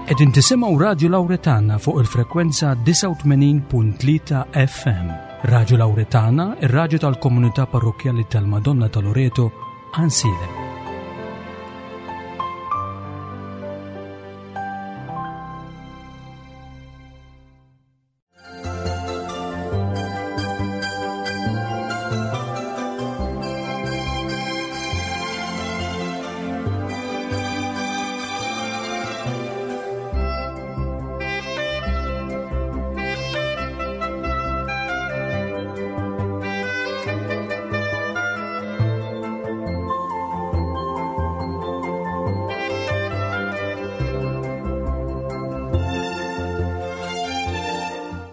Qegħdin tisimgħu Radju Lawretana fuq il-frekwenza 89.3 FM. Radju Lawretana, ir-radju tal-komunità parrokkjali tal-Madonna ta' Loreto, Ansilem.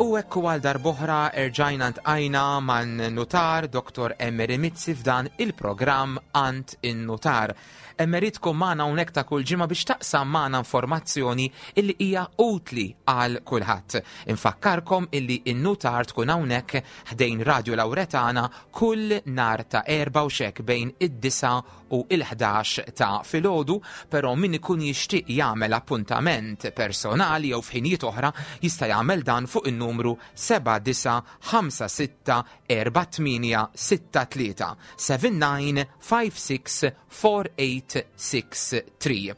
U ekku għal darboħra erġajna ntqajna man nutar Dr. Emery Mizzi f'dan il-programm Ant in-Nutar. Emery tkun magħna hawnhekk ta' kull ġimgħa biex taqsam magħna informazzjoni illi hija utli għal kulħadd. Infakkarkom illi in-nutar tkun hawnhekk ħdejn Radio Lauretana kull nar ta' erba' u xek bejn id-disa u il-11 ta' filgħodu, però min ikun jixtieq jagħmel appuntament personali jew f'ħinijiet oħra jista' jagħmel dan fuq in-numru 7956 4863 7956 4863.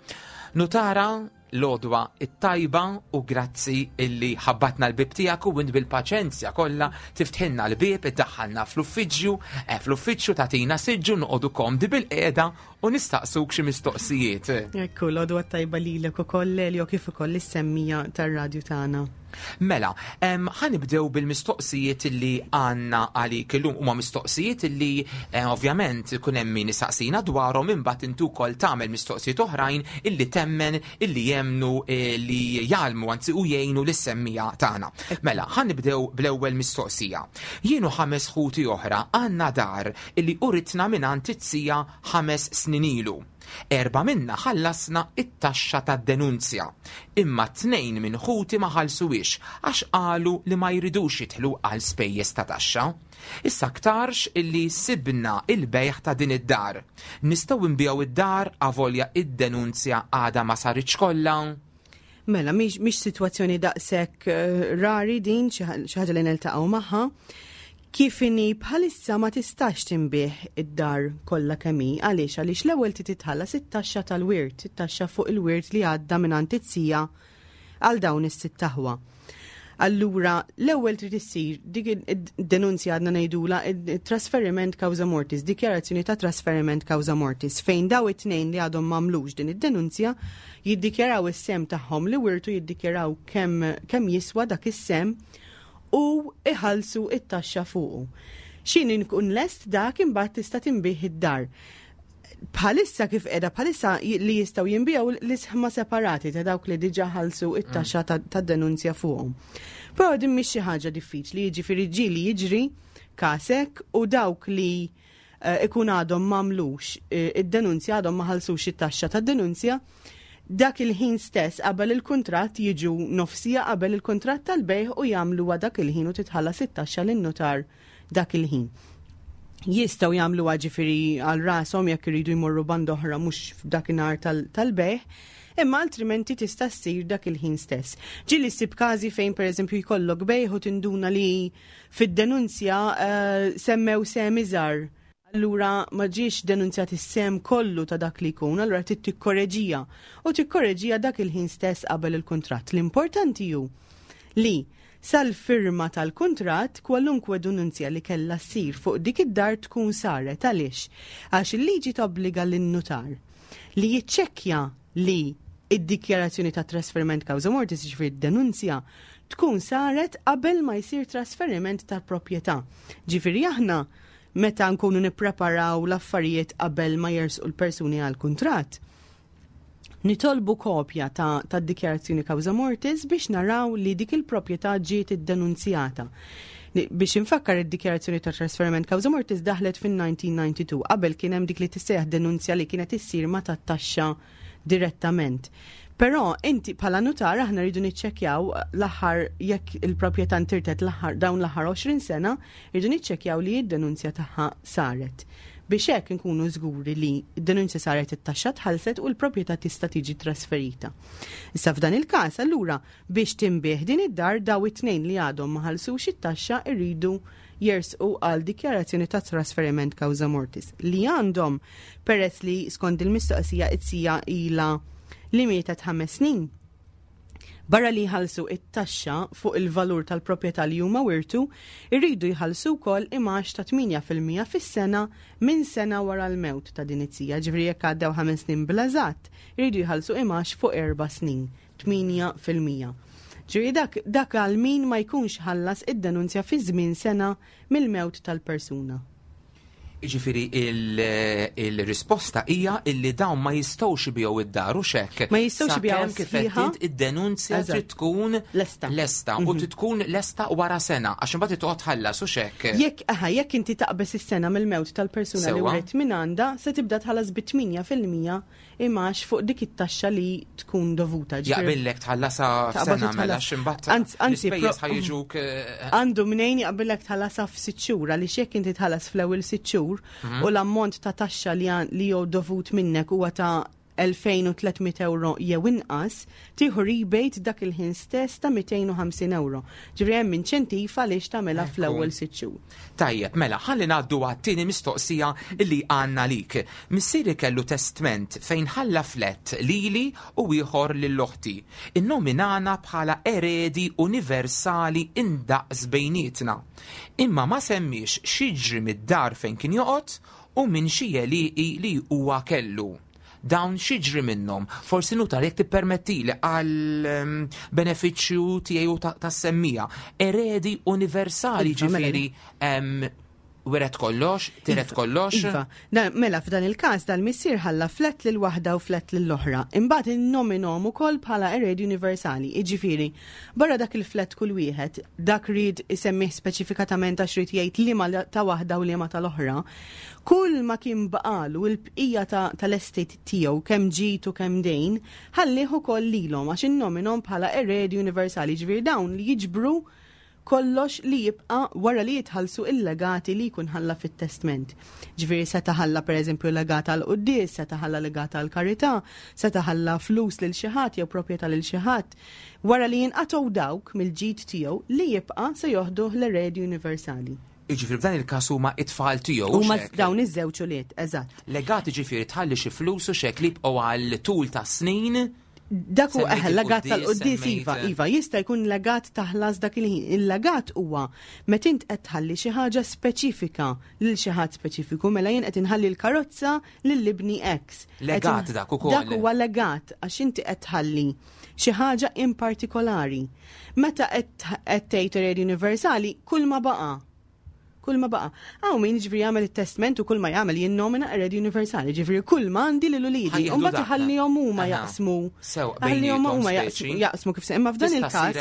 Nutara l-għodwa it-tajba u grazzi illi ħabbatna l-bib tiegħek u int bil-paċenzja kollha tiftħilna l-bieb iddaħħalna fl-uffiċċju, eh, fl-uffiċċju tagħtina siġġu noqogħdu komdi bil-qiegħda u nistaqsuk xi mistoqsijiet. Ekku, l-għodwa tajba lilek ukoll Elio kif ukoll is-semmija tar-radju tagħna. Mela, ħanibdew bil-mistoqsijiet li għanna għalik illum huma mistoqsijiet li eh, ovvjament ikun hemm min isaqsina dwarhom imbagħad intu wkoll tagħmel mistoqsijiet oħrajn illi temmen illi jemnu eh, li jgħallmu anzi u jgħinu lis-semmija tagħna. Mela, ħanibdew bl-ewwel mistoqsija. Jienu ħames ħuti oħra għandna dar illi uritna mingħand it-sija ħames snin ilu. Erbgħa minna ħallasna t-taxxa tad-denunzja, imma tnejn minn ħuti ma ħallsuhiex għax qalu li ma jridux jidħlu għal spejjeż ta' taxxa. Issa aktarx illi sibna il-bejgħ ta' din id-dar. Nistgħu nbigħu id-dar avolja id-denunzja għadha ma saritx kollha? Mela, mhix sitwazzjoni daqshekk eh, rari din xi ħaġa li niltaqgħu magħha. Kif inhi bħalissa ma tistax tinbih id-dar kollha kemm hi, għaliex għaliex l-ewwel trid titħallas it-taxxa tal-wirt, it-taxxa fuq il-wirt li għadda minn it-sija għal dawn is-sitt aħwa. Allura, l-ewwel trid issir dik id-denunzja għadna ngħidula trasferiment causa mortis, dikjarazzjoni ta' trasferiment causa mortis, fejn daw it-tnejn li għadhom m'għamlux din id-denunzja jiddikjaraw is-sem tagħhom li wirtu jiddikjaraw kemm kemm jiswa dak is-sem u iħallsu it-taxxa fuqu. Xin inkun lest dak imbagħad tista' tinbih id-dar bħalissa kif qiegħda bħalissa li jistgħu jinbiegħu l-isħma separati ta' dawk li diġà ħallsu it-taxxa mm. tad-denunzja fuqhom. Però din mhix xi ħaġa diffiċli, jiġifieri ġieli jiġri kasek u dawk li eh, ikun għadhom m'għamlux eh, id-denunzja għadhom ma ħallsux it-taxxa tad-denunzja, dak il-ħin stess qabel il-kuntratt jiġu nofsija qabel il-kuntratt tal-bejħ u jagħmluha dak il-ħin u titħallas it-taxxa lin-nutar dak il-ħin. Jistgħu jagħmluha ġifieri għal rashom jekk iridu jmorru band oħra mhux f'dakinhar tal-bejħ, imma altrimenti tista' ssir dak il-ħin stess. Ġieli ssib każi fejn pereżempju jkollok bejħ u tinduna li fid-denunzja eh, semmew sem iżgħar. Allura ma ġiex denunzjat is-sem kollu ta' dak li jkun, allura trid tikkoreġija. U tikkoreġija dak il-ħin stess qabel il-kuntratt. L-importanti hu li Sal-firma tal-kuntratt, kwalunkwe denunzja li kellha ssir fuq dik id-dar tkun saret. Għaliex? Għax il-liġi tobbliga lin-nutar li jiċċekkja li id-dikjarazzjoni ta' trasferiment causa mortis, jiġifieri d-denunzja, tkun saret qabel ma jsir trasferiment tal-proprjetà. Ġifieri aħna meta nkunu nippreparaw l-affarijiet qabel ma jersqu l-persuni għall-kuntratt, Nitolbu kopja ta' tad-dikjarazzjoni causa mortis biex naraw li dik il-proprjetà ġiet iddenunzjata. Biex infakkar id-dikjarazzjoni ta' trasferiment causa mortis daħlet fin-1992. Qabel kien hemm dik li tissejjaħ denunzja li kienet issir ma tat-taxxa direttament. Però inti bħala nutar aħna rridu niċċekkjaw l-aħħar jekk il-proprjetà ntirtet l-aħħar dawn l-aħħar 20 sena, rridu niċċekkjaw li d-denunzja tagħha saret. Biex hekk inkunu żguri li d-denunzja saret it-taxxa tħallset u l-proprjetà tista' tiġi trasferita. Issa f'dan il-każ allura biex tinbiegħ din id-dar daw it-tnejn li għadhom ma ħallsux it-taxxa rridu jersqu għal dikjarazzjoni ta' trasferiment causa mortis li għandhom peress li skont il-mistoqsija it-sija ilha li mietet 5 snin. Barra li jħallsu it-taxxa fuq il-valur tal-proprjetà li huma wirtu, irridu jħallsu wkoll imgħax ta' 8% fis-sena minn sena wara l-mewt ta' din it-sija, ġifieri jekk għaddew 5 snin bl-eżatt, irridu jħallsu imgħax fuq 4 snin, 8%. Ġifieri dak, dak għal min ma jkunx ħallas id-denunzja fi żmien sena mill-mewt tal-persuna. Jiġifieri il-risposta hija illi dawn ma jistgħux ibigħu id-dar u xek. Ma jistgħux ibigħu kif qed id-denunzja trid tkun lesta. Lesta u mhm. trid tkun lesta wara sena għax imbagħad toqgħod tħallas u xek. Jekk aha, jekk inti taqbeż is-sena mill-mewt tal-persuna li wret minn għandha, se tibda tħallas bi 8% imgħax fuq dik it-taxxa li tkun dovuta. Jaqbillek tħallasha f'sena mela x'imbagħad anzi l-ispejjeż ħajġuk. Eh, Għandu mnejn jaqbillek tħallasha f'sitt xhur għaliex jekk inti tħallas fl-ewwel sitt xhur mhm. u l-ammont ta' taxxa li jew dovut minnek huwa ta' 2300 euro jew inqas, tieħu rebate dak il-ħin stess ta' 250 euro. Ġifieri hemm inċentiv għaliex tagħmilha fl-ewwel sitt xhur. Tajjeb, mela, ħalli ngħaddu għat-tieni mistoqsija li għandna lik. Missieri kellu testment fejn ħalla flett lili u ieħor lil oħti. Innominana bħala eredi universali indaqs bejnietna. Imma ma semmiex x'jiġri mid-dar fejn kien joqgħod u minn xi għelieqi li huwa kellu. Dawn x'jiġri minnhom? Forsi nutar jekk tippermettili għal ehm, benefiċċju tiegħi u tas-semmija. Eredi universali iva, mela, ġifieri ehm, wiret kollox, tiret iva, kollox. Iva, mela f'dan il-każ dal-missier ħalla flet lil waħda u flet lil oħra. Imbagħad innominhom ukoll bħala eredi universali, jiġifieri barra dak il-flet kull wieħed, dak ried isemmih speċifikatament għax ried jgħid liema ta' waħda u liema tal-oħra. Kull ma kien baqalu il-bqija tal-estate tiegħu kemm ġid u kemm dejn, ħallih ukoll lilhom għax innominhom bħala eredi universali, ġifieri dawn li jiġbru kollox li jibqa' wara li jitħallsu il-legati li jkun ħalla fit-testment. Ġifieri seta' ħalla pereżempju legat għal quddies, seta' ħalla legat għal karità, seta' ħalla flus lil xi ħadd jew proprjetà lil xi ħadd. Wara li jinqatgħu dawk mill-ġid tiegħu li jibqa' se joħduh l-eredi universali. Jiġifieri f'dan il-każ huma t-tfal tiegħu. Huma dawn iż-żewġ ulied, eżatt. Legat jiġifieri tħalli xi flus u x'hekk li jibqgħu għal tul ta' snin. Dak hu eħe legat tal-quddies iva, iva, jista' jkun legat ta' ħlas dak il-ħin. Il-legat huwa meta int qed tħalli xi ħaġa speċifika lil xi ħadd speċifiku, mela jien qed inħalli l-karozza lil ibni X. Legat dak ukoll. Dak huwa legat għax inti qed tħalli xi ħaġa in partikolari. Meta qed tgħid eredi universali, kull ma baqa'. Kull ma baqa'. Hawn min ġifieri jagħmel it-testment u kull ma jagħmel jinnomina eredi universali, ġifieri kull ma għandi lil uliedi, u mbagħad iħallihom huma jaqsmu. Ħallihom huma jaqsmu kif se imma f'dan il-każ.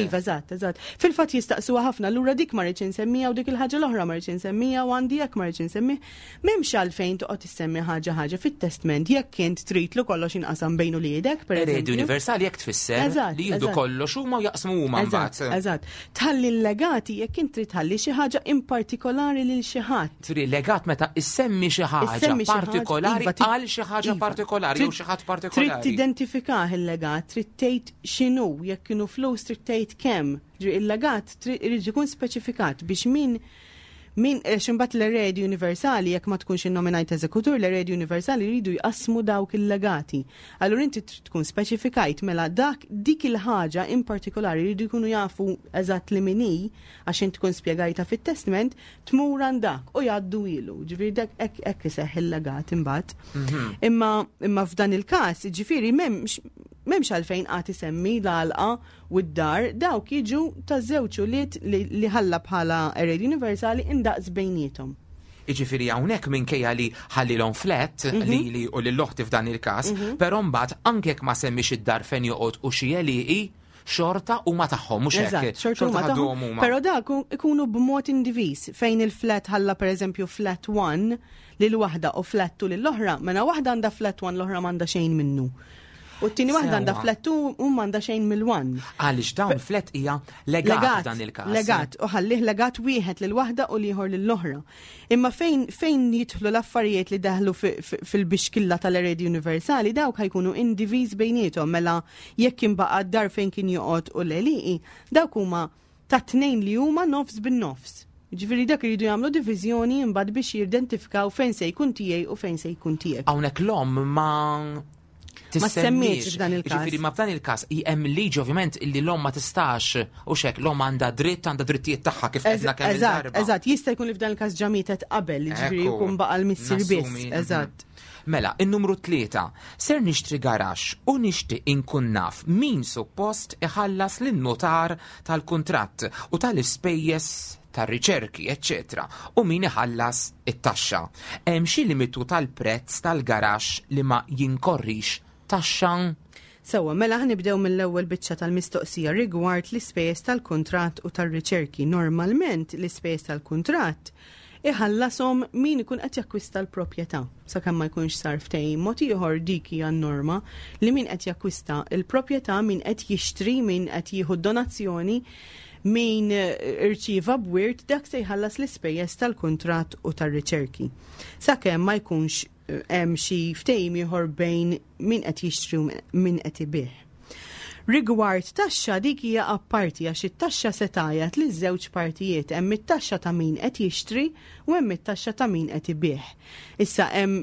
Iva, eżatt, eżatt. Fil-fatt jistaqsuha ħafna, allura dik ma rridx insemmija u dik il-ħaġa l-oħra ma rridx insemmija u għandi hekk ma rridx insemmih. M'hemmx għalfejn toqgħod issemmi ħaġa ħaġa fit-testment jekk int trid li kollox jinqasam bejn uliedek, per Eredi universali jekk tfisser li jieħdu kollox huma u jaqsmu huma mbagħad. Eżatt. Tħalli l-legati jekk int trid tħalli xi ħaġa in partikolari lil xi ħadd. Ġifieri legat meta issemmi xi ħaġa partikolari iva, għal xi ħaġa iva. partikolari jew xi ħadd partikolari. Trid tidentifikah il-legat, trid tgħid x'inhu, jekk kienu flus trid tgħid kemm. Ġifieri il-legat irid ikun speċifikat biex min Min, għax imbagħad l-eredi universali jekk ma tkunx innominajt eżekutur, l-eredi universali jridu jqassmu dawk il-legati. Allura inti trid tkun speċifikajt mela dak dik il-ħaġa in partikolari jridu jkunu jafu eżatt li min hi, għax int tkun spjegajtha fit-testment, tmur għand dak u jgħaddu ilu. Ġifieri dak hekk hekk iseħħ il-legat imbagħad. Mhm. Imma imma f'dan il-każ, ġifieri m'hemmx m'hemmx għalfejn qagħad isemmi l-għalqa u d-dar, dawk jiġu taż-żewġ ulied li ħalla bħala eredi universali indaqs bejniethom. Jiġifieri hawnhekk minkejja li ħallilhom flat mhm. lili u lil oħti f'dan il-każ, mhm. però mbagħad anke jekk ma semmix id-dar fejn joqgħod u xi għelieqi, xorta huma tagħhom mhux hekk. Xorta huma tagħhom. Però dak ikunu b'mod indiviż fejn il-flat ħalla pereżempju flat 1 lil waħda u flat 2 lil oħra, mela waħda għandha flat 1 l-oħra m'għandha xejn minnu. U t-tieni waħda għandha flat 2 u m'għandha xejn mill-1. Għaliex dawn flat hija legat dan il-każ. Legat, u ħallih legat wieħed lil waħda u l-ieħor lill-oħra. Imma fejn fejn jidħlu l-affarijiet li daħlu fil-bixkilla tal-eredi universali dawk ħajkunu indiviż bejniethom mela jekk imbaqa' d-dar fejn kien joqgħod u l-għelieqi, dawk huma tat-tnejn li huma nofs bin-nofs. Jiġifieri dak iridu jagħmlu diviżjoni imbagħad biex jidentifikaw fejn se jkun tiegħi u fejn se jkun tiegħek. Hawnhekk l-omm ma Ma semmiex f'dan il-każ. Ġifieri ma f'dan il-każ hemm liġi ovvjament illi l-omm ma tistax u xek l-omm għandha dritt għandha drittijiet tagħha kif qedna kemm Eżatt, eżatt, jista' jkun li f'dan il-każ ġa mietet qabel, ġifieri jkun baqa' l-missier biss. Eżatt. Mela, in-numru 3, ser nixtri garaxx u nixtieq inkun naf min suppost iħallas lin-nutar tal-kuntratt u tal-ispejjeż tar-riċerki, eċċetera u min iħallas it-taxxa. Hemm xi limitu tal-prezz tal-garaxx li ma jinkorrix taxxa? Sewwa, mela ħa nibdew mill-ewwel biċċa tal-mistoqsija rigward l-ispejjeż tal-kuntratt u tar-riċerki. Normalment l-ispejjeż tal-kuntratt iħallashom min ikun qed jakkwista l-proprjetà. Sakemm ma jkunx sar ftehim mod ieħor dik hija n-norma li min qed jakkwista l-proprjetà, min qed jixtri, min qed jieħu donazzjoni, min irċieva b'wirt dak se jħallas l-ispejjeż tal-kuntratt u tar-riċerki. Sakemm ma jkunx hemm xi ftehim ieħor bejn min qed jixtri u min qed ibigħ. Rigward taxxa dik hija apparti għax it-taxxa se tgħajjat liż-żewġ partijiet, hemm it-taxxa ta' min qed jixtri u hemm it-taxxa ta' min qed ibigħ. Issa hemm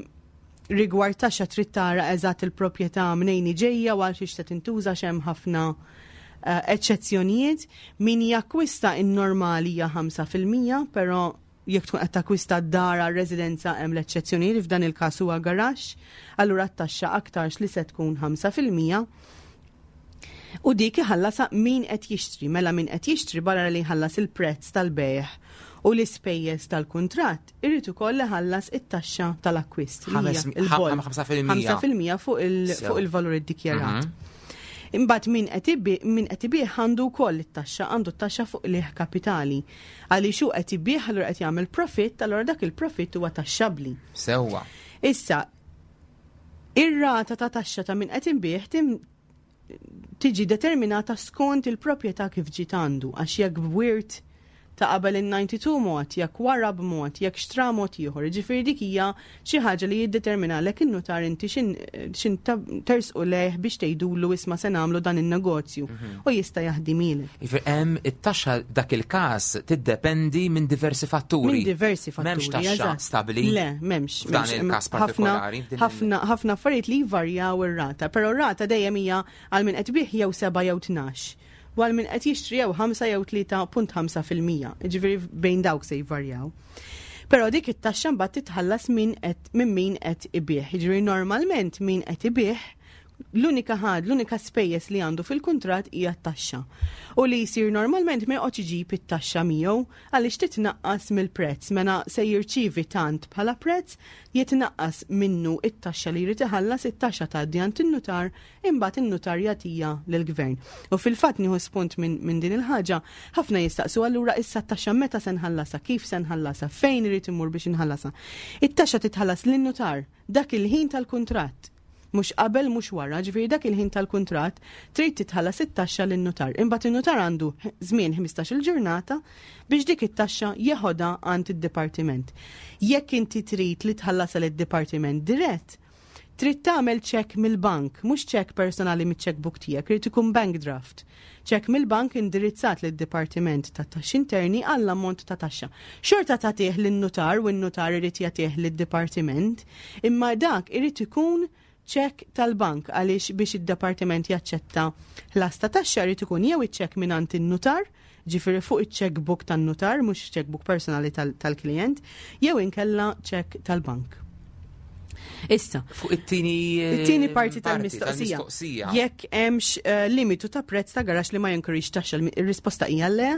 rigward taxxa trid tara eżatt il-proprjetà mnejn hi ġejja u għal xiex se tintuża għax hemm ħafna eċċezzjonijiet. Min jakkwista in-normali hija 5%, però jekk tkun qed takkwista dar għal residenza hemm l-eċċezzjonijiet li f'dan il-każ huwa garaxx, allura t-taxxa aktarx li se tkun 5%. U dik iħallasha min qed jixtri, mela min qed jixtri barra li jħallas il-prezz tal-bejgħ u l-ispejjeż tal-kuntratt, irid ukoll iħallas it-taxxa tal-akkwist. 5%. 5% fuq il-valur iddikjarat. Imbagħad min qed ibigħ għandu wkoll it-taxxa, għandu t-taxxa fuq qligħ kapitali. Għaliex hu qed ibigħ allura qed jagħmel profitt, allura dak il-profitt huwa taxxabbli. Sewwa. Issa, ir-rata ta' taxxa ta' min qed inbigħ tiġi determinata skont il-proprjetà kif ġiet għandu, għax jekk b'wirt ta' qabel in-92 mod, jekk wara b'mod, jekk xtra mod ieħor. Jiġifieri dik hija xi ħaġa li jiddeterminalek in-nutar inti xin tersqu lejh biex tgħidulu isma' se nagħmlu dan in-negozju u jista' jaħdimilek. Jiġifieri hemm it-taxxa dak il-każ tiddependi minn diversi fatturi. Minn diversi fatturi. M'hemmx taxxa stabbli. Le, m'hemmx. F'dan il-każ partikolari. Ħafna ħafna affarijiet li jvarjaw ir-rata, però r-rata dejjem hija għal min qed ibigħ jew 7 jew 12. U għal min qed jixtri jew 5 jew 3.5%. Jiġifieri bejn dawk se jvarjaw. Però dik it-taxxa mbagħad titħallas minn min min qed ibigħ. Jiġifieri normalment min qed ibigħ l-unika ħad, l-unika spejjeż li għandu fil-kuntratt hija t-taxxa. U li jsir normalment ma joqgħodx iġib it-taxxa miegħu għaliex titnaqqas mill-prezz. Mela se jirċievi tant bħala prezz, jitnaqqas minnu it-taxxa li jrid iħallas, it-taxxa tgħaddi għand in-nutar, imbagħad in-nutar jagħtija lill-gvern. U fil-fatt nieħu spunt minn din il-ħaġa, ħafna jistaqsu allura issa t-taxxa meta se nħallasha, kif se nħallasha, fejn irid imur biex inħallasha. It-taxxa titħallas lin-nutar dak il-ħin tal-kuntratt. Mhux qabel, mhux wara, ġifieri dak il-ħin tal-kuntratt trid titħallas it-taxxa lin-nutar. Imbagħad in-nutar għandu żmien 15-il ġurnata biex dik it-taxxa jeħodha għand id-dipartiment. Jekk inti trid li tħallasha lid-dipartiment dirett, trid tagħmel ċekk mill-bank, mhux ċekk personali miċ-checkbook tiegħek, irid ikun bank draft. Ċekk mill-bank indirizzat lid-Dipartiment tat-Taxxi Interni għall-ammont ta' taxxa. Xorta tagħtih lin-nutar u n-nutar irid jagħtih lid-dipartiment, imma dak irid ikun ċekk tal-bank għaliex biex id-dipartiment jaċċetta ħlas ta' taxxa irid ikun jew iċ-ċekk mingħand in-nutar, ġifieri fuq iċ-checkbook tan-nutar, mhux checkbook personali tal-klient, jew inkella ċekk tal-bank. Issa. Fuq it-tieni It-tieni parti tal-mistoqsija. tal-mistoqsija. Jekk hemmx limitu ta' prezz ta' garaxx li ma jinkorrix taxxa, ir-risposta hija le.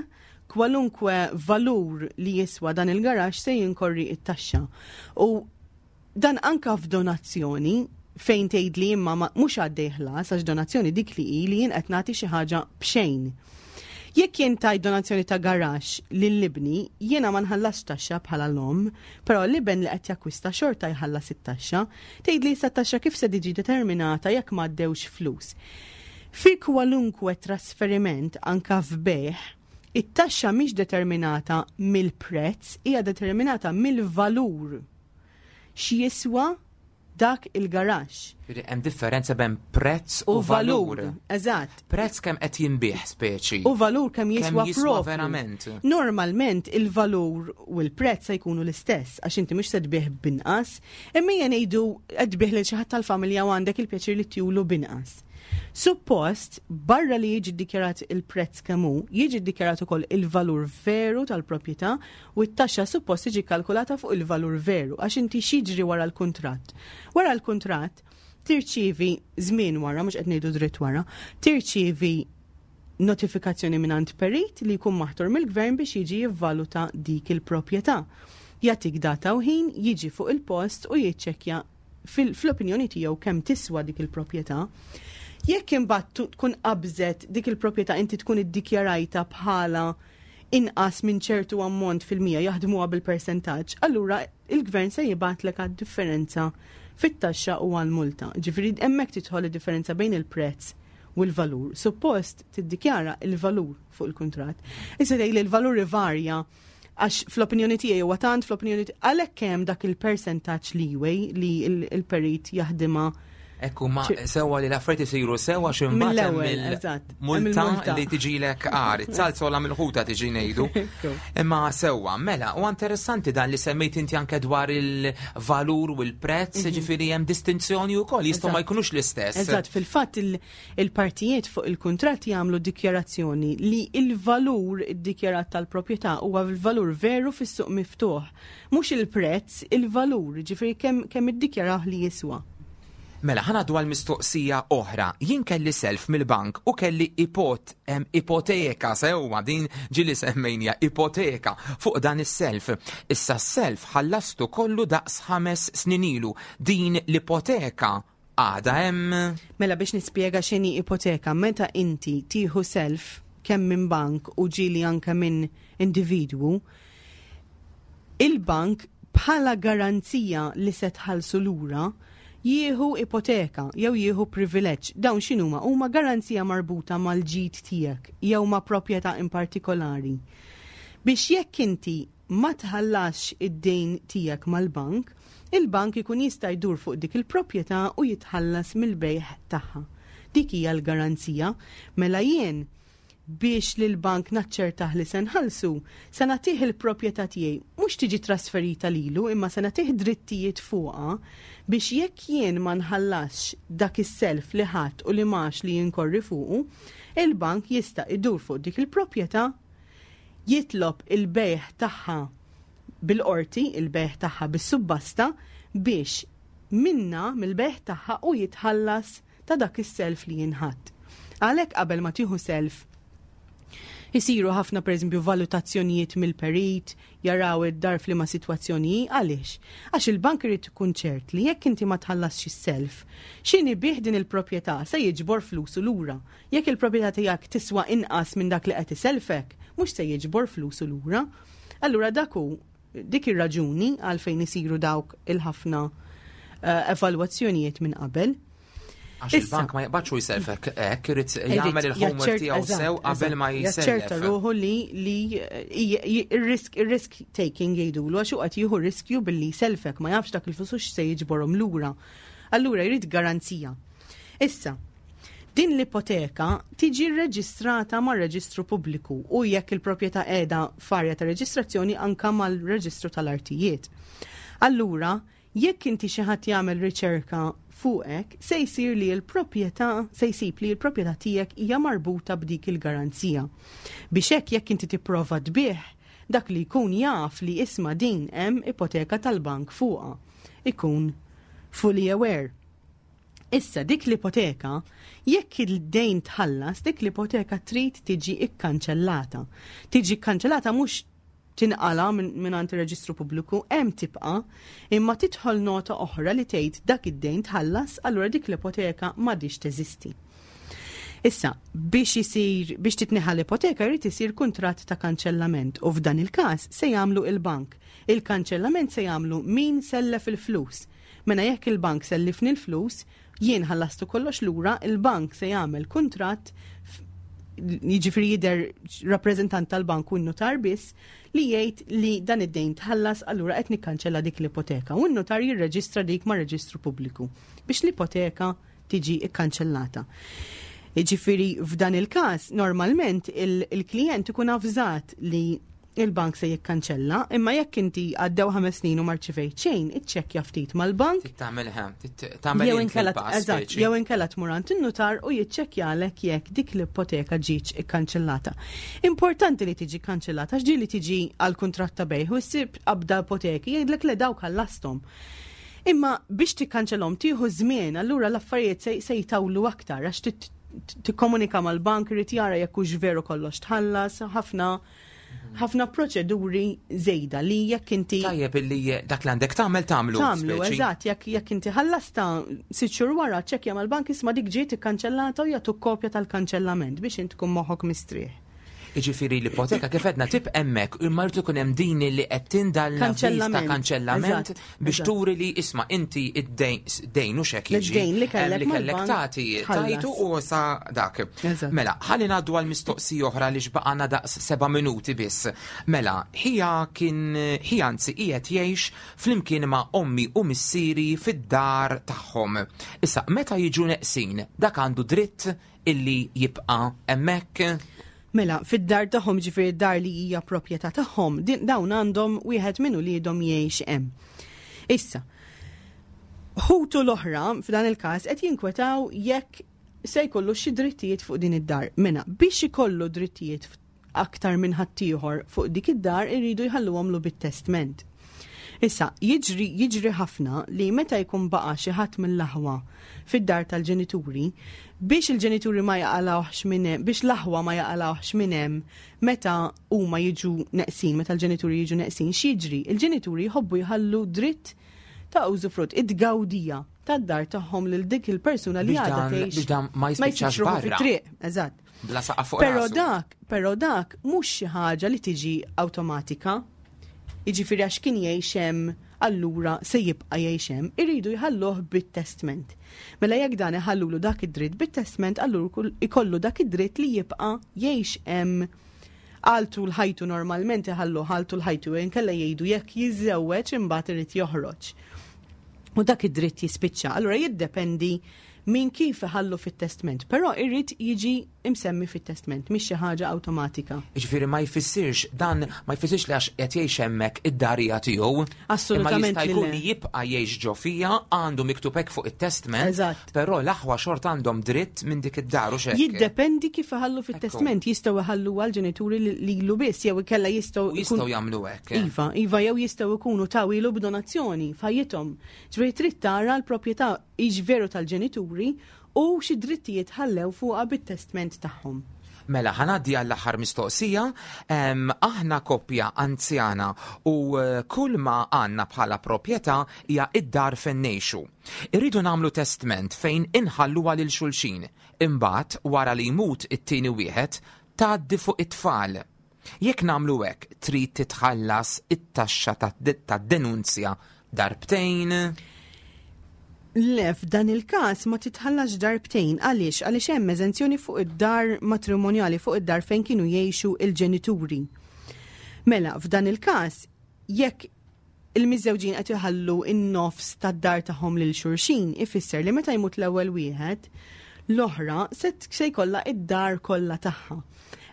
Kwalunkwe valur li jiswa dan il-garaxx se jinkorri it-taxxa. U dan anka f'donazzjoni fejn tgħid li imma mhux għaddej ħlas għax donazzjoni dik li hi li jien qed nagħti xi ħaġa b'xejn. Jekk jien tajt donazzjoni ta' garaxx lil ibni, jiena ma nħallasx taxxa bħala l-omm, però l-iben li qed jakkwista xorta jħallas it-taxxa. Tgħidli issa t-taxxa kif se tiġi determinata jekk m'għaddewx flus. Fi kwalunkwe trasferiment, anka f'bejgħ, it-taxxa mhix determinata mill-prezz, hija determinata mill-valur. X'jiswa dak il-garaxx. Jiġifieri hemm differenza bejn prezz u valur. Eżatt. Prezz kemm qed jinbiegħ speċi. U valur kemm jiswa propju. Verament. Normalment il-valur u l-prezz se jkunu l-istess għax inti mhux se tbigħ b'inqas, imma ejja ngħidu qed tbigħ lil xi ħadd tal-familja u għandek il-pjaċir li tjulu b'inqas. Suppost, barra li jiġi ddikjarat il-prezz kemm hu, jiġi ddikjarat ukoll il-valur veru tal-proprjetà u t-taxxa suppost tiġi kkalkulata fuq il-valur veru għax inti x'jiġri wara l-kuntratt? Wara l-kuntratt tirċievi żmien wara, mhux qed ngħidu dritt wara, tirċievi notifikazzjoni mingħand perit li jkun maħtur mill-gvern biex jiġi jivvaluta dik il-proprjetà. Jagħtik data u ħin, jiġi fuq il-post u jiċċekkja fl-opinjoni tiegħu kemm tiswa dik il-proprjetà. Jekk imbagħad tkun qabżet dik il-proprjetà inti tkun iddikjarajta bħala inqas minn ċertu ammont fil-mija jaħdmuha bil-persentaġġ, allura il-gvern se jibgħatlek għad-differenza fit-taxxa u għall-multa. Ġifieri hemmhekk tidħol id-differenza bejn il-prezz u l-valur. Suppost tiddikjara il-valur fuq il-kuntratt. Issa tgħid li l-valur ivarja għax fl-opinjoni tiegħi huwa tant fl-opinjoni għalhekk hemm dak il-persentaġġ leeway li l-perit jaħdimha. Ekku, ma sewa li l-affarijiet isiru sewa x'imbagħad hemm il-multa li tiġilek għar, it-salzola mill-ħuta tiġi ngħidu. Imma sewa, mela, u interessanti dan li semmejt inti anke dwar il-valur u l-prezz, ġifieri hemm distinzjoni wkoll, jistgħu ma jkunux l-istess. Eżatt, fil-fatt il-partijiet fuq il-kuntratt jagħmlu dikjarazzjoni li il-valur iddikjarat tal-proprjetà huwa l-valur veru fis-suq miftuħ. Mhux il-prezz, il-valur, ġifieri kemm iddikjaraw li jiswa. Mela, ħa ngħaddu għal mistoqsija oħra. Jien kelli self mill-bank u kelli ipoteka, sewwa din ġieli semmejnija ipoteka fuq dan is-self. Issa s-self ħallastu kollu daqs 5 snin ilu. Din l-ipoteka għadha hemm? Mela biex nispjega x'inhi ipoteka, meta inti tieħu self kemm minn bank u ġieli anke minn individwu, il-bank bħala garanzija li se tħallsu lura jieħu ipoteka jew jieħu privileġġ. Dawn x'inhuma? Huma garanzija marbuta mal-ġid tiegħek jew ma' proprjetà in partikolari. Biex jekk inti ma tħallasx id-dejn tiegħek mal-bank, il-bank ikun jista' jdur fuq dik il-proprjetà u jitħallas mill-bejgħ tagħha. Dik hija l-garanzija. Mela jien biex lil bank naċċertah li se nħallsu, se nagħtih il-proprjetà tiegħi, mhux tiġi trasferita lilu, imma se nagħtih drittijiet fuqha biex jekk jien ma nħallasx dak is-self li ħadt u li mgħax li jinkorri fuqu, il-bank jista' idur fuq dik il-proprjetà, jitlob il-bejgħ tagħha bil-qorti, il-bejgħ tagħha bis-subbasta biex minna mill-bejgħ tagħha u jitħallas ta' dak is-self li jinħadd. Għalhekk qabel ma tieħu self isiru ħafna pereżempju valutazzjonijiet mill-perit, jaraw id-dar f'liema sitwazzjoni hi, għaliex? Għax il-bank irid ikun ċert li jekk inti ma tħallasx is-self, x'inhi bih din il-proprjetà se jiġbor flusu lura. Jekk il-proprjetà tiegħek tiswa inqas minn dak li qed iselfek, mhux se jiġbor flusu lura. Allura dak hu dik ir-raġuni għalfejn isiru dawk il-ħafna evalwazzjonijiet minn qabel. Għax il-bank ma jaqbadx u jselfek hekk, irid jagħmel il-homework tiegħu sew qabel ma jsellef. Jaċċerta ruħu li ir-risk taking jgħidulu għax hu qed jieħu riskju billi jselfek ma jafx dak il-flus se jiġborhom lura. Allura jrid garanzija. Issa, din l-ipoteka tiġi rreġistrata mar-reġistru pubbliku u jekk il-proprjetà qiegħda f'arja ta' reġistrazzjoni anka mal-reġistru tal-artijiet. Allura, jekk inti xi ħadd jagħmel riċerka fuqek, se jsir li l-proprjetà, se jsib li l-proprjetà tiegħek hija marbuta b'dik il-garanzija. Biex hekk jekk inti tipprova tbigħ, dak li jkun jaf li isma' din hemm ipoteka tal-bank fuqha. Ikun fully aware. Issa dik l-ipoteka, jekk id-dejn tħallas, dik l-ipoteka trid tiġi ikkanċellata. Tiġi kkanċellata mhux tinqala mingħand ir-reġistru pubbliku, hemm tibqa', imma tidħol nota oħra li tgħid dak id-dejn tħallas, allura dik l-ipoteka m'għadhiex teżisti. Issa, biex isir biex titneħħa l-ipoteka jrid isir kuntratt ta' kanċellament u f'dan il-każ se jagħmlu il-bank. Il-kanċellament se jagħmlu min sellef il-flus. Mela jekk il-bank sellifni l-flus, jien ħallastu kollox lura, il-bank se jagħmel kuntratt, jiġifieri jidher rappreżentant tal-bank u n-nutar biss li jgħid li dan id-dejn tħallas, allura qed nikkanċella dik l-ipoteka u n-nutar jirreġistra dik ma' reġistru pubbliku biex l-ipoteka tiġi kkanċellata. Jiġifieri f'dan il-każ normalment il-klijent ikun avżat li il-bank se jikkanċella, imma jekk inti għaddew 5 snin u ma rċivejt xejn, iċċekkja ftit mal-bank. Tagħmel Jew inkella, eżatt, jew inkella tmur għand in-nutar u jiċċekkjalek jekk dik l-ipoteka ġietx ikkanċellata. Importanti li tiġi kanċellata għax li tiġi għal kuntratt ta' bejgħ u ssib qabda ipoteki jgħidlek le, dawk ħallasthom. Imma biex tikkanċellhom tieħu żmien, allura l-affarijiet se jtawlu aktar għax tikkomunika mal-bank, irid jara jekk hux veru kollox tħallas, ħafna ħafna proċeduri żejda li jekk inti Tajjeb illi dak li għandek tagħmel tagħmlu. Tagħmlu, eżatt, jekk inti ħallasta 6 xhur wara, ċekkja mal-bank, isma', dik ġiet ikkanċellata, u jagħtuk kopja tal-kanċellament biex int tkun moħħok mistrieħ. Iġifieri l-ipoteka kif għedna tibqa' hemmhekk, imma jrid ikun hemm din li qed tindal ta' kanċellament biex turi li, isma', inti id-dejn u xek jiġi. Id-dejn li kellek li kellek tagħti tajtu u sa dak. Mela, ħalli ngħaddu għal mistoqsija oħra li xbaqana daqs 7 minuti biss. Mela, ħija kien ħija anzi qiegħed jgħix flimkien ma' ommi u missieri fid-dar tagħhom. Issa, meta jiġu neqsin, dak għandu dritt illi jibqa' hemmhekk? Mela, fid-dar tagħhom, ġifieri dar li hija proprjetà tagħhom, dawn għandhom wieħed minn uliedhom jgħix hemm. Issa, ħutu l-oħra f'dan il-każ qed jinkwetaw jekk se jkollu xi drittijiet fuq din id-dar. Mela, biex ikollu drittijiet aktar minn ħaddieħor fuq dik id-dar irridu jħalluhomlu bit-testment. Issa, jiġri ħafna li meta jkun baqa xi ħadd mill-aħwa fid-dar tal-ġenituri, biex il-ġenituri ma jaqalawx minn hemm, biex l-aħwa ma jaqalawx minn hemm meta huma jiġu neqsin, meta l-ġenituri jiġu neqsin, x'jiġri? Il-ġenituri jħobbu jħallu dritt ta' użufrutt, id-gawdija tad-dar tagħhom lil dik il-persuna li għadha tgħix. Biex dan ma jispiċċax barra. Fit-triq, eżatt. Bla saqaf fuq Però dak, però dak mhux xi ħaġa li tiġi awtomatika. Jiġifieri għax kien jgħix hemm allura se jibqa' jgħix hemm, iridu jħalluh bit-testment. Mela jekk dan iħallulu dak id-dritt bit-testment, allura ikollu dak id-dritt li jibqa' jgħix hemm għal tul ħajtu. Normalment iħallu għal tul ħajtu, inkella jgħidu jekk jiżżewweġ imbagħad irid joħroġ. U dak id-dritt jispiċċa. Allura jiddependi minn kif iħallu fit-testment, però irrid jiġi imsemmi fit-testment, mhix xi ħaġa awtomatika. Ġifieri ma jfissirx dan, ma jfissirx li għax qed jgħix hemmhekk id-dar hija tiegħu. Assolutament. Imma jista' jkun li jibqa' jgħix ġo fija, għandu miktub hekk fuq it-testment. Però l-aħwa xort għandhom dritt minn dik id-dar u xek. Jiddependi kif iħallu fit-testment, jistgħu iħallu għal-ġenituri lilu biss jew ikella jistgħu Jistgħu jagħmlu hekk. Iva, jew jistgħu jkunu tawhielu b'donazzjoni f'ħajjithom. Ġifieri trid tara l-proprjetà hix veru tal-ġenituri u xi drittijiet ħallew fuqha bit-testment tagħhom. Mela, ħa ngħaddi għall-aħħar mistoqsija. Aħna koppja anzjana u kull ma għandna bħala proprjetà hija id-dar fejn ngħixu. Irridu nagħmlu testment fejn inħalluha lil xulxin. Imbagħad wara li jmut it-tieni wieħed tgħaddi fuq it-tfal. Jekk nagħmlu hekk, trid titħallas it-taxxa tad-denunzja darbtejn? Le, f'dan il-każ ma titħallax darbtejn. Għaliex? Għaliex hemm eżenzjoni fuq id-dar matrimonjali, fuq id-dar fejn kienu jgħixu il-ġenituri. Mela, f'dan il-każ, jekk il-miżżewġin qed iħallu in-nofs tad-dar tagħhom lil xulxin, ifisser li meta jmut l-ewwel wieħed, l-oħra se jkollha id-dar kollha tagħha.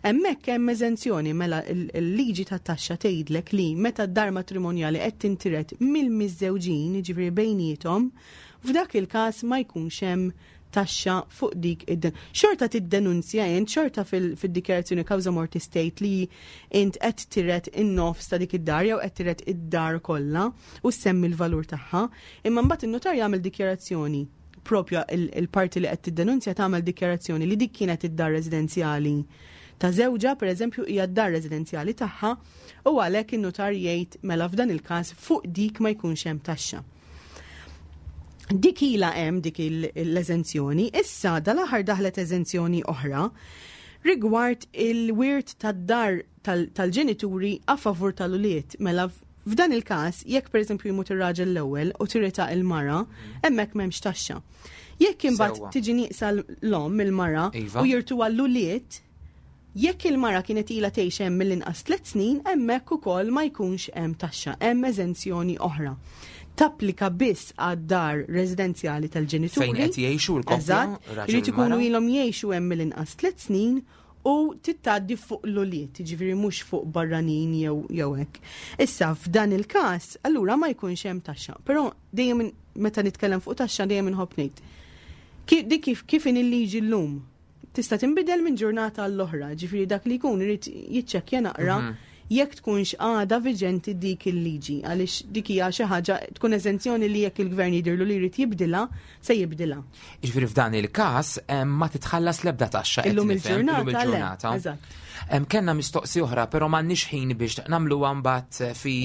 Hemmhekk hemm eżenzjoni. Mela il-liġi tat-taxxa tgħidlek li meta d-dar matrimonjali qed tintiret mill-miżżewġin, jiġifieri bejniethom, f'dak il-każ ma jkunx hemm taxxa fuq dik id Xorta tiddenunzja int, xorta fil-dikjarazzjoni causa mortis tgħid li int qed tiret in-nofs ta' dik id-dar jew qed tiret id-dar kollha u semmi l-valur tagħha, imma mbagħad in-notar jagħmel dikjarazzjoni propja, il-parti li qed tiddenunzja tagħmel dikjarazzjoni li dik kienet id-dar residenzjali ta' żewġha, per eżempju, hija d-dar residenzjali tagħha, u għalhekk in-notar jgħid mela f'dan il-każ fuq dik ma jkunx hemm taxxa. Dik ilha hemm dik l-eżenzjoni, issa dal-aħħar daħlet eżenzjoni oħra rigward il-wirt tad-dar tal-ġenituri a favur tal-ulied. Mela f'dan il-każ, jekk pereżempju jmut ir-raġel l-ewwel u tirita il-mara, hemmhekk m'hemmx taxxa. Jekk imbagħad tiġi nieqsa l-omm il-mara iva. u jirtuha l-ulied, Jekk il-mara kienet ilha tgħix hemm mill-inqas tlett snin, hemmhekk ukoll ma jkunx hemm taxxa, hemm eżenzjoni oħra. Tapplika biss għad-dar residenzjali tal-ġenituri. Fejn qed jgħixu l-koppja. Eżatt, irid ikunu ilhom jgħixu hemm mill-inqas tlett snin u titgħaddi fuq l-ulied, jiġifieri mhux fuq barranin jew jew hekk. Issa f'dan il-każ, allura ma jkunx hemm taxxa. Però dejjem meta nitkellem fuq taxxa dejjem inħobb ngħid. Dik kif kif inhi l-liġi llum tista' tinbidel minn ġurnata għall-oħra, ġifieri dak li jkun irid jiċċekkja naqra mhm. jekk tkunx għada viġenti dik il-liġi, għaliex dik hija xi ħaġa tkun eżenzjoni li jekk il-gvern jidirlu li jrid jibdilha, se jibdilha. Jiġifieri f'dan il-każ ma titħallas l-ebda taxxa. Illum il-ġurnata. Eżatt. Kenna mistoqsi oħra, però m'għandniex ħin biex nagħmluha mbagħad fi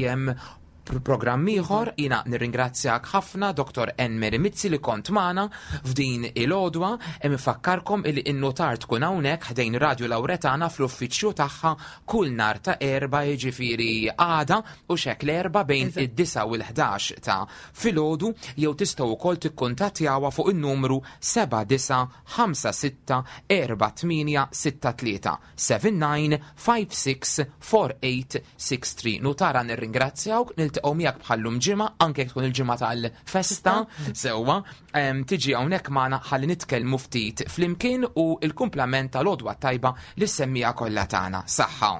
programm ieħor. Jiena nirringrazzjak ħafna Dr. Ann Mary Mizzi li kont magħna f'din il-għodwa. Hemm infakkarkom illi n-notar tkun hawnhekk ħdejn Radio Lauretana fl-uffiċċju tagħha kull nhar ta' Erbgħa, jiġifieri għada u x'hekk l-Erbgħa bejn id-9 u l-11 ta' filgħodu, jew tistgħu wkoll tikkuntattjawha fuq in-numru 7956 4863. 79564863. Nutara nirringrazzjawk, niltaqgħu miegħek bħallum ġimgħa, anke jekk tkun il-ġimgħa tal-festa, sewwa, tiġi hawnhekk magħna ħalli nitkellmu ftit flimkien u l-kumplament tal-għodwa tajba lis-semmiegħa kollha tagħna. Saħħa.